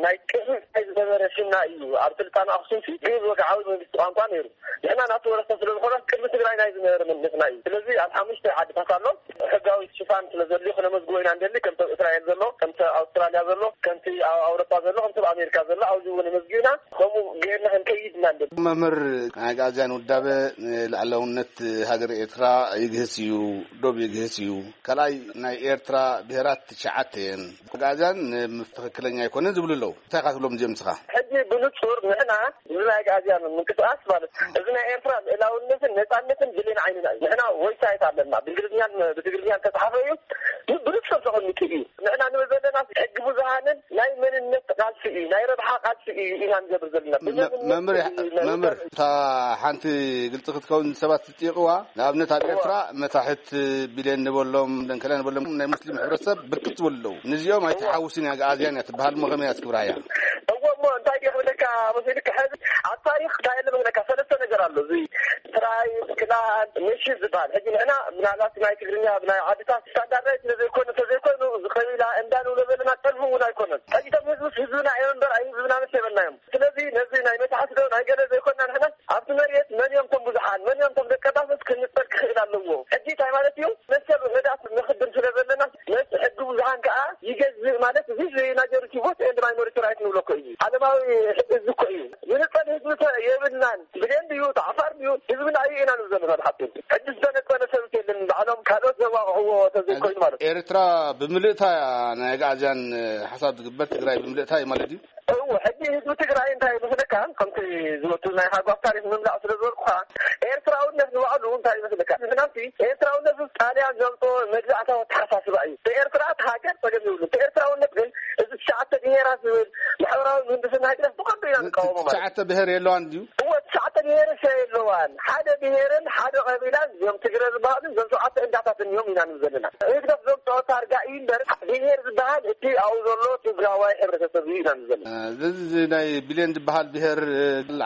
ናይ ቅድሚ ናይ ዝነበረ ሽምና እዩ። ኣብ ስልጣነ ኣኽሱም ሲ ግእዝ ወግዓዊ መንግስቲ ቋንቋ ነይሩ። ንሕና ናቱ ወረስታ ስለ ዝኾና ቅድሚ ትግራይ ናይ ዝነበረ መንነትና እዩ። ስለዚ ኣብ ሓሙሽተ ዓድታት ኣሎ። ሕጋዊ ሽፋን ስለ ዘድልዮ ክነመዝግቦ ኢና እንደሊ፣ ከምቲ ኣብ እስራኤል ዘሎ፣ ከምቲ ኣብ ኣውስትራልያ ዘሎ፣ ከምቲ ኣብ ኣውሮፓ ዘሎ፣ ከምቲ ኣብ ኣሜሪካ ዘሎ ኣብዚ እውን ነመዝጊብና ከምኡ ገይርና ክንከይድ ኢና እንደሊ። መምህር፣ ናይ ኣግኣዝያን ውዳበ ንልኣላውነት ሃገር ኤርትራ ይግህስ እዩ፣ ዶብ ይግህስ እዩ። ካልኣይ ናይ ኤርትራ ብሄራት ትሽዓተ እየን። ኣግኣዝያን ትኽክለኛ ኣይኮነን ዝብሉ ኣለዉ። እንታይ ኢኻ ትብሎም እዚኦም ንስኻ? ሕጂ ብንጹር ንሕና እዚ ናይ ኣግኣዝያን ምንቅስቃስ ማለት እዚ ናይ ኤርትራ ልእላውነትን ነጻነትን ብሌን ዓይንና እዩ። ንሕና ወይሳይት ኣለና። ብእንግሊዝኛን ብትግርኛን ተጻሓፈ እዩ። ብንጹር ተቐሚጡ እዩ። ንሕና ንብል ዘለና ሕጊ ብዙሃንን ናይ መንነት ቃልሲ እዩ፣ ናይ ረብሓ ቃልሲ እዩ ኢና ንገብር ዘለና። መምህር እታ ሓንቲ ግልፂ ክትከውን ሰባት ዝጥይቕዋ፣ ንኣብነት ኣብ ኤርትራ መታሕት ቢልዮን ንበሎም ደንከላ ንበሎም ናይ ሙስሊም ሕብረተሰብ ብርክት ዝበሉ ኣለዉ። ንዚኦም ኣይትሓውስን እያ፣ ኣግኣዝያን እያ ትበሃል። እሞ ከመይ እያ ትግብራ እያ? እዎ እሞ እንታይ ድየ ክብለካ መሲልካ፣ ሕዚ ኣብ ታሪክ እንታይ ኣሎ ክብለካ፣ ሰለስተ ነገር ኣሎ። እዚ ትራይ ክላን ምሽ ዝበሃል። ሕጂ ንሕና ምናልባት ናይ ትግርኛ ብናይ ዓድታት ስታንዳርዳይዝ ስለዘይኮነ፣ ተዘይኮይኑ እዚ ቀቢላ እንዳ ንብሎ ዘለና ጠልፉ እውን ኣይኮነን። ሕጂ እቶም ህዝብስ ህዝብና እዮም እምበር ኣይ ህዝብና መስ የበልናዮም። ስለዚ ነዚ ናይ መታሕት ዶ ናይ ገለ ዘይኮና ንሕና ኣብቲ መሬት መን እዮም እቶም ብዙሓን፣ መን እዮም እቶም ደቀባትስ ክንጸል ክኽእል ኣለዎ። ሕጂ እንታይ ማለት እዩ? መሰል ውሕዳት ንኽድም ስለ ዘለና መስ ሕጊ ብዙሓን ከኣ ይገዝእ ማለት እዚ ናጀሪቲ ቮት ኤንድ ማይኖሪቲ ራይት ንብሎ እኮ እዩ። ዓለማዊ ሕጊ እዚ እኮ እዩ። ዝንጸል ህዝቢ የብልናን። ብሌን ድዩ ተዓፋር ድዩ ህዝብና እዩ ኢና ንብል ዘለና ብሓቂ። ሕጂ ዝተነጸለ ሰብ የለን። ባዕሎም ካልኦት ዘዋቕዕዎ ተዘይኮይኑ ማለት እዩ። ኤርትራ ብምልእታ ናይ ኣግኣዝያን ሓሳብ ዝግበር ትግራይ ብምልእታ እዩ ማለት እዩ። እዎ ሕጂ ህዝቢ ትግራይ እንታይ መስለካ ከምቲ ዝወቱ ናይ ሃጓፍ ታሪክ ምምላእ ስለ ዝበልኩኻ ኤርትራውነት ንባዕሉ እንታይ መስለካ ምክንያቱ ኤርትራውነት ጣልያን ዘምጾ መግዛእታዊ ኣተሓሳስባ እዩ። ኤርትራ እቲ ሃገር ጸገም ይብሉ። ኤርትራውነት ግን እዚ ትሽዓተ ብሄራት ዝብል ማሕበራዊ ምህንድስና ህግደፍ ብቐንዱ ኢና ንቃወሞ ማለት ትሽዓተ ብሄር የለዋን ድዩ? እዎ ትሽዓተ ብሄር ሰ የለዋን ሓደ ብሄርን ሓደ ቀቢላን እዮም ትግረ ዝበሃሉ እዞም ሸውዓተ እንዳታትን እዮም ኢና ንብል ዘለና። ህግደፍ ዘምፅኦ ታርጋ እዩ እምበር ብሄር ዝበሃል እቲ ኣብኡ ዘሎ ትግራዋይ ሕብረተሰብ እዩ ኢና ንብል ዘለና። እዚ ናይ ቢልዮን ዝበሃል ብሄር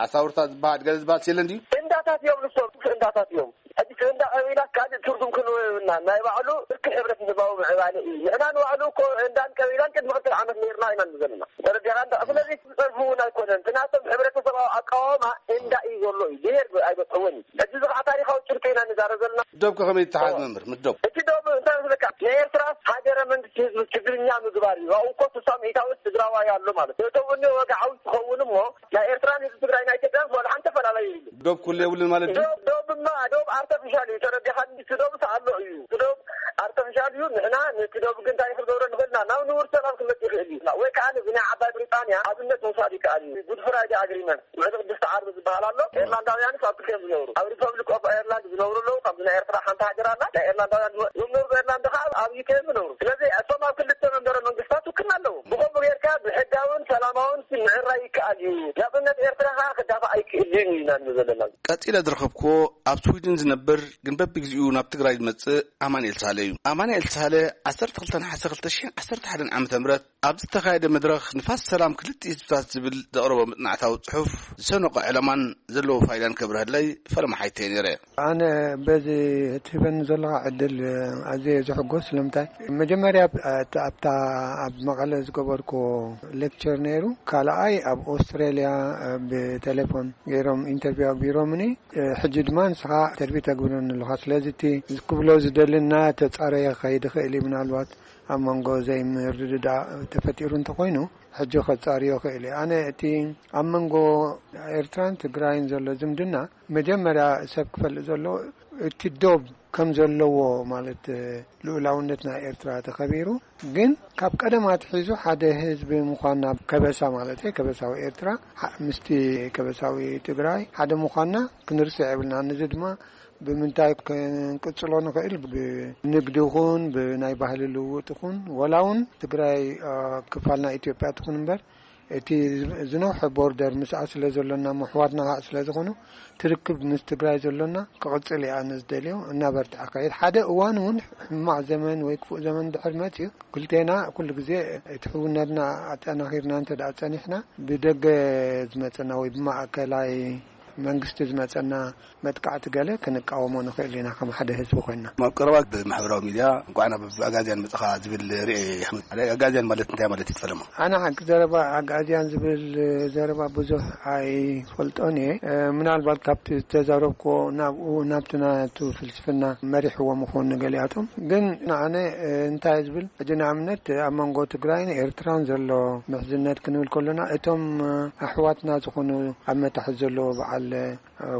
ዓሳውርታ ዝበሃል ገለ ዝበሃል የለን ድዩ? እንዳታት እዮም ንሶም እንዳታት እዮም። ሕጂ እንዳ ቀቢላ ካልእ ትርጉም ክንወ የብልና ናይ ባዕሉ ብርኪ ሕብረተሰባዊ ምዕባለ እዩ። ንሕና ንባዕሉ እኮ እንዳን ቀቢላን ቅድሚ ክልተ ዓመት ነርና ኢና ንብል ዘለና። ተረዲኻ እንዳ ስለዚ ዝጸርፉ እውን ኣይኮነን። እቲ ናቶም ሕብረተሰባዊ ኣቃዋማ እንዳ እዩ ዘሎ እዩ። ብሄር ኣይበጽሕዎን እዩ። ሕጂ እዚ ከዓ ታሪኻዊ ጭብጢ ኢና ንዛረብ ዘለና። ዶብ ከ ከመይ ይተሓዝ መምህር? ምስ ዶብ እቲ ዶብ እንታይ መስለካ? ንኤርትራ ሃገረ መንግስቲ ህዝቢ ትግርኛ ምግባር እዩ። ኣብኡ እኮ ስሳ ሚእታዊት ትግራዋይ ኣሎ ማለት እዩ። እቶም እኒ ወግዓዊ ትኸውን እሞ ናይ ኤርትራን ህዝቢ ትግራይ ናይ ኢትዮጵያን ዋላ ሓንቲ ኣፈላላይ የብሉ። ዶብ ኩሉ የብሉን ማለት ድዩ? ዶብ ዶብማ ዶብ ኣርተፊሻል እዩ። ተረዲኻ? እቲ ዶብ ኣሎ እዩ። እቲ ዶብ ኣርተፊሻል እዩ። ንሕና ነቲ ዶብ ግን እንታይ ክንገብሮ ንኽእልና ናብ ንቡር ሰላም ክመጽእ ይኽእል እዩ። ወይ ከዓ ነዚ ናይ ዓባይ ብሪጣንያ ኣብነት ምውሳድ ይከኣል እዩ። ጉድ ፍራይደ ኣግሪመንት ውዕሊ ቅድስቲ ዓርቢ ዝበሃል ኣሎ። ኤርላንዳውያንስ ኣብ ክልቲኦም ዝነብሩ ኣብ ሪፐብሊክ ኦፍ ኤርላንድ ዝነብሩ ኣለዉ። ካብዚ ናይ ኤርትራ ሓንቲ ሃገር ኣላ። ናይ ኤርላንዳውያን ዝነብሩ ኤርላንድ ከዓ ኣብ ዩኬ ዝነብሩ። ስለዚ እቶም ኣብ ክልተ መንበረ መንግስታት ውክልና ኣለዎም። ብኸምኡ ጌርካ ብሕጋውን ሰላማውን ምዕራይ ይከኣል እዩ። ናጽነት ኤርትራ ከዓ ክዳፋእ ኣይክእልን እዩ ኢና ንብል ዘለና። ቀጺለ ዝረኸብክዎ ኣብ ስዊድን ዝነብር ግን በብግዚኡ ናብ ትግራይ ዝመጽእ ኣማንኤል ሳለ እዩ። ኣማንኤል ሳለ ዓሰርተ ክልተ ነሓሰ ክልተ ሽሕን ዓሰርተ ሓደን ዓመተ ምህረት ኣብ ዝተኻየደ መድረኽ ንፋስ ሰላም ክልተ ህዝብታት ዝብል ዘቕረቦ መጽናዕታዊ ጽሑፍ ዝሰነቖ ዕላማን ዘለዎ ፋይዳን ከብርሀለይ ፈለማ ሓይተየ ነይረ። ኣነ በዚ እትህበኒ ዘለኻ ዕድል ኣዝየ ዝሕጎስ። ስለምንታይ? መጀመርያ ኣብታ ኣብ መቐለ ዝገበርኩዎ ሌክቸር ነይሩ። ካልኣይ ኣብ ኦስትሬልያ ብቴሌፎን ገይሮም ኢንተርቪው ኣግቢሮምኒ። ሕጂ ድማ ንስኻ ኢንተርቪው ተግብረኒ ኣለኻ። ስለዚ እቲ ክብሎ ዝደሊ እናተጻረየ ክኸይድ ይኽእል እዩ። ምናልባት ኣብ መንጎ ዘይምርድዳእ ተፈጢሩ እንተኾይኑ ሕጂ ከጻርዮ ክእል እየ። ኣነ እቲ ኣብ መንጎ ኤርትራን ትግራይን ዘሎ ዝምድና መጀመርያ ሰብ ክፈልጥ ዘለዎ እቲ ዶብ ከም ዘለዎ ማለት ልኡላውነት ናይ ኤርትራ ተኸቢሩ ግን ካብ ቀደም ኣትሒዙ ሓደ ህዝቢ ምዃንና ከበሳ ማለት ከበሳዊ ኤርትራ ምስቲ ከበሳዊ ትግራይ ሓደ ምዃንና ክንርስዕ የብልና። ንዚ ድማ ብምንታይ ክንቅጽሎ ንኽእል? ብንግዲ ይኹን ብናይ ባህሊ ልውውጥ ይኹን ወላ እውን ትግራይ ክፋል ናይ ኢትዮጵያ ትኹን እምበር እቲ ዝነውሐ ቦርደር ምስኣ ስለ ዘሎና ምሕዋትና ከዓ ስለ ዝኾኑ ትርክብ ምስ ትግራይ ዘሎና ክቕጽል እየ ኣነ ዝደልዮ። እናበርትዐ ከይድ ሓደ እዋን እውን ሕማቕ ዘመን ወይ ክፉእ ዘመን ድሕር መፅዩ ክልቴና ኩሉ ግዜ እቲ ሕውነትና ኣጠናኺርና እንተ ደኣ ጸኒሕና ብደገ ዝመጸና ወይ ብማእከላይ መንግስቲ ዝመጸና መጥቃዕቲ ገለ ክንቃወሞ ንኽእል ኢና ከም ሓደ ህዝቢ ኮይና። ኣብ ቀረባ ብማሕበራዊ ሚድያ እንኳዕ ናብ ኣጋዝያን መጻኻ ዝብል ርኤ። ኣጋዝያን ማለት እንታይ ማለት እዩ ፈለማ? ኣነ ሓቂ ዘረባ ኣጋዝያን ዝብል ዘረባ ብዙሕ ኣይፈልጦን እየ። ምናልባት ካብቲ ዝተዛረብክዎ ናብኡ ናብቲ ናቱ ፍልስፍና መሪሕዎ ምኾኑ ገሊኣቶም ግን ንኣነ እንታይ ዝብል ሕጂ ንኣብነት ኣብ መንጎ ትግራይን ኤርትራን ዘሎ ምሕዝነት ክንብል ከሎና እቶም ኣሕዋትና ዝኾኑ ኣብ መታሕት ዘለዎ በዓል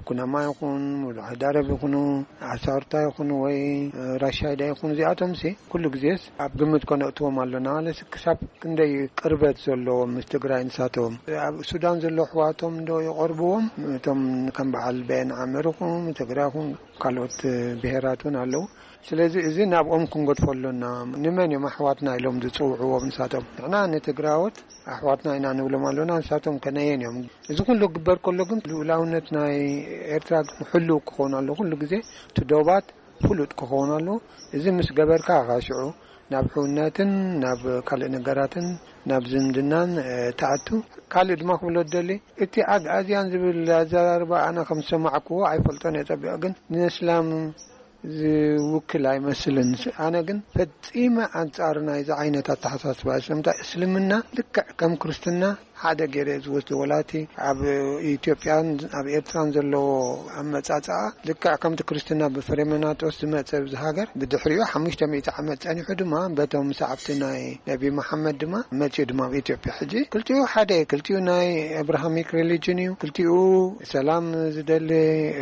ኩናማ ይኹን፣ ሙሉእ ሃይዳረብ ይኹኑ፣ ኣሳርታ ይኹኑ ወይ ራሻይዳ ይኹኑ፣ እዚኣቶም ሲ ኩሉ ግዜስ ኣብ ግምት ከነእትዎም ኣሎና። ለስ ክሳብ ክንደይ ቅርበት ዘለዎም ምስ ትግራይ ንሳቶም? ኣብ ሱዳን ዘሎ ኣሕዋቶም ዶ ይቐርብዎም? እቶም ከም በዓል በየን ዓመር ይኹን፣ ትግራይ ይኹን፣ ካልኦት ብሄራት እውን ኣለዉ። ስለዚ እዚ ናብኦም ክንገድፎ ኣሎና። ንመን እዮም ኣሕዋትና ኢሎም ዝጽውዕዎም ንሳቶም? ንሕና ንትግራዎት ኣሕዋትና ኢና ንብሎም ኣሎና፣ ንሳቶም ከነየን እዮም? እዚ ኩሉ ክግበር ከሎ ግን ልኡላውነት ናይ ኤርትራ ግን ሕሉው ክኸውን ኣሎ። ኩሉ ግዜ እቲ ዶባት ፍሉጥ ክኸውን ኣሎ። እዚ ምስ ገበርካ ኢኻ ሽዑ ናብ ሕውነትን ናብ ካልእ ነገራትን ናብ ዝምድናን፣ እ፣ ትኣቱ። ካልእ ድማ ክብሎ ዝደሊ፣ እቲ ኣግኣዝያን ዝብል ኣዘራርባ ኣነ ከም ዝሰማዕክዎ ኣይፈልጦን እየ ጸቢቕ፣ ግን ንእስላም ዝውክል ኣይመስልን። ኣነ ግን ፈጺመ ኣንጻር ናይዚ ዓይነት ኣተሓሳስባ። ስለምንታይ እስልምና ልክዕ ከም ክርስትና ሓደ ገይረ እየ ዝወስዶ። ወላቲ ኣብ ኢትዮጵያን ኣብ ኤርትራን ዘለዎ ኣመጻጽኣ ልክዕ ከምቲ ክርስትና ብፍሬመናጦስ ዝመጸ ኣብዚ ሃገር፣ ብድሕሪኡ ሓሙሽተ ሚእቲ ዓመት ጸኒሑ ድማ በቶም ሰዓብቲ ናይ ነቢ መሓመድ ድማ መጺኡ ድማ ኣብ ኢትዮጵያ። ሕጂ ክልቲኡ ሓደ፣ ክልቲኡ ናይ ኣብርሃሚክ ሪሊጅን እዩ፣ ክልቲኡ ሰላም ዝደሊ፣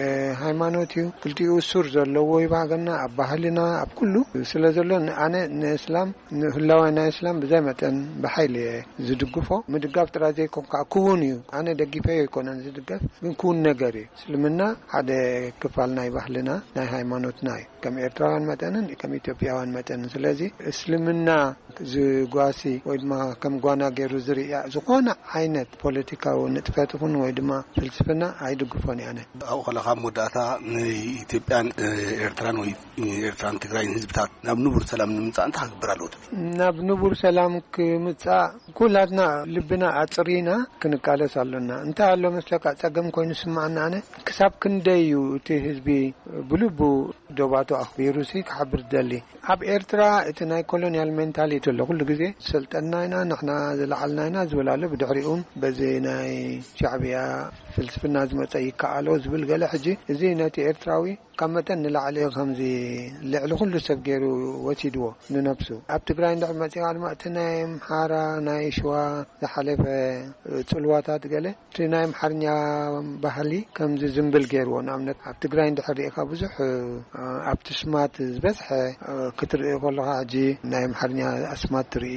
እ፣ ሃይማኖት እዩ፣ ክልቲኡ ሱር ዘለዎ ይባህገና ኣብ ባህልና ኣብ ኩሉ ስለ ዘሎ፣ ንኣነ ንእስላም ንህላዋይ ናይ እስላም ብዘይ መጠን ብሓይሊ እየ ዝድግፎ። ምድጋፍ ጥራይ ዘይኮን ከዓ ክውን እዩ። ኣነ ደጊፈዮ ኣይኮነን ዝድገፍ፣ ግን ክውን ነገር እዩ። እስልምና ሓደ ክፋል ናይ ባህልና ናይ ሃይማኖትና እዩ፣ ከም ኤርትራውያን መጠንን ከም ኢትዮጵያውያን መጠንን። ስለዚ እስልምና ዝጓሲ ወይ ድማ ከም ጓና ገይሩ ዝርእያ ዝኾነ ዓይነት ፖለቲካዊ ንጥፈት ይኹን ወይ ድማ ፍልስፍና ኣይድግፎን እየ ኣነ። ኣብኡ ከለኻ ኣብ መወዳእታ ንኢትዮጵያን፣ እ፣ ኤርትራን ወይ ኤርትራን ትግራይን ህዝብታት ናብ ንቡር ሰላም ንምምጻእ እንታይ ክግበር ኣለዎ ትብል? ናብ ንቡር ሰላም ክምጻእ ኩላትና ልብና ኣጽሪና ክንቃለስ ኣሎና። እንታይ ኣሎ መስለካ፣ ጸገም ኮይኑ ስማዓና ኣነ፣ ክሳብ ክንደይ እዩ እቲ ህዝቢ ብልቡ ዶባቱ ኣኽቢሩሲ ክሓብር ዝደሊ? ኣብ ኤርትራ እቲ ናይ ኮሎኒያል ሜንታሊቲ ኣሎ። ኩሉ ግዜ ዝሰልጠና ኢና፣ ንሕና ዝለዓልና ኢና ዝብል ኣሎ። ብድሕሪኡ በዚ ናይ ሻዕብያ ፍልስፍና ዝመጸ ይከኣሎ ዝብል ገለ። ሕጂ እዚ ነቲ ኤርትራዊ ካብ መጠን ንላዕሊ ከምዚ ልዕሊ ኩሉ ሰብ ገይሩ ወሲድዎ ንነብሱ። ኣብ ትግራይ እንድሕር መጺኻ ድማ እቲ ናይ ኣምሓራ፣ ናይ ሽዋ ዝሓለፈ ጽልዋታት ገለ፣ እቲ ናይ ኣምሓርኛ ባህሊ ከምዚ ዝምብል ገይርዎ። ንኣብነት ኣብ ትግራይ እንድሕር ርኢኻ ብዙሕ፣ እ፣ ኣብቲ ስማት ዝበዝሐ፣ እ፣ ክትርኢ ከለኻ ሕጂ ናይ ኣምሓርኛ ኣስማት ትርኢ።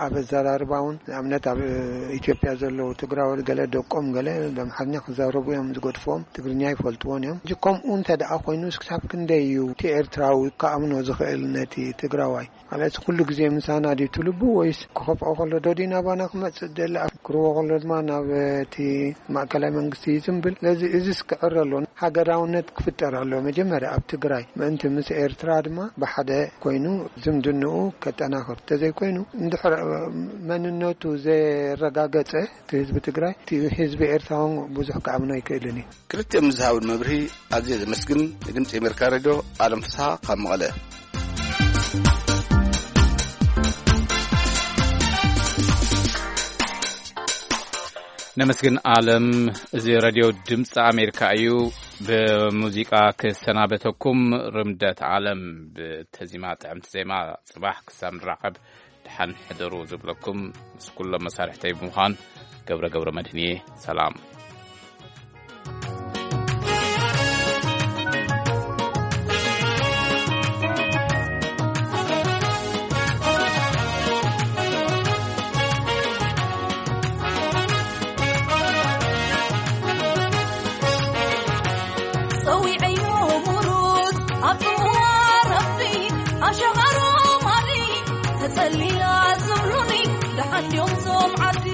ኣብ ኣዘራርባ እውን ንኣብነት ኣብ፣ እ፣ ኢትዮጵያ ዘለዉ ትግራዎት ገለ ደቆም ገለ ብኣምሓርኛ ክዛረቡ እዮም ዝገድፍዎም፣ ትግርኛ ይፈልጥዎን እዮም። ሕጂ ከምኡ እንተ ደኣ ኮይኑስ ክሳብ ክንደይ እዩ እቲ ኤርትራዊ ክኣምኖ ዝኽእል ነቲ ትግራዋይ? ማለት ኩሉ ግዜ ምሳና ድዩ እቲ ልቡ ወይስ ክኸፍኦ ከሎ ዶ ድዩ ናባና ክመጽእ ደሊ? ክርዎ ከሎ ድማ ናብ እቲ ማእከላይ መንግስቲ እዩ ዝምብል። ስለዚ እዚስ ክዕረ ኣሎ። ሃገራውነት ክፍጠር ኣሎ መጀመርያ ኣብ ትግራይ ምእንቲ ምስ ኤርትራ ድማ ብሓደ ኮይኑ ዝምድንኡ ከጠናኽር። እንተዘይኮይኑ እንድሕር መንነቱ ዘረጋገጸ እቲ ህዝቢ ትግራይ፣ እቲ ህዝቢ ኤርትራ እውን ብዙሕ ክኣምኖ ኣይክእልን እዩ። ክልቲኦም ዝሃቡን መብርሂ ኣዝየ ዘመስግን። ንድምፂ ኣሜሪካ ሬድዮ ኣለም ፍስሃ ካብ መቐለ። ነመስግን ኣለም። እዚ ሬድዮ ድምፂ ኣሜሪካ እዩ። ብሙዚቃ ክሰናበተኩም፣ ርምደት ኣለም ብተዚማ ጥዕምቲ ዜማ። ጽባሕ ክሳብ ንራኸብ ደሓን ሕደሩ ዝብለኩም ምስ ኩሎም መሳርሕተይ ብምዃን ገብረ ገብረ መድህን እየ። ሰላም። ጸዊዐዮ ሙሩት ኣብ ጽምዋ ረቢ ኣሸኻሮ ማሊ ተጸሊላ ዝብሉኒ ደሓን ድዮም ዞም ዓዲ።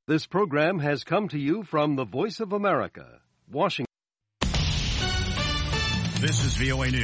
This program has come to you from the Voice of America, Washington. This is V O A News.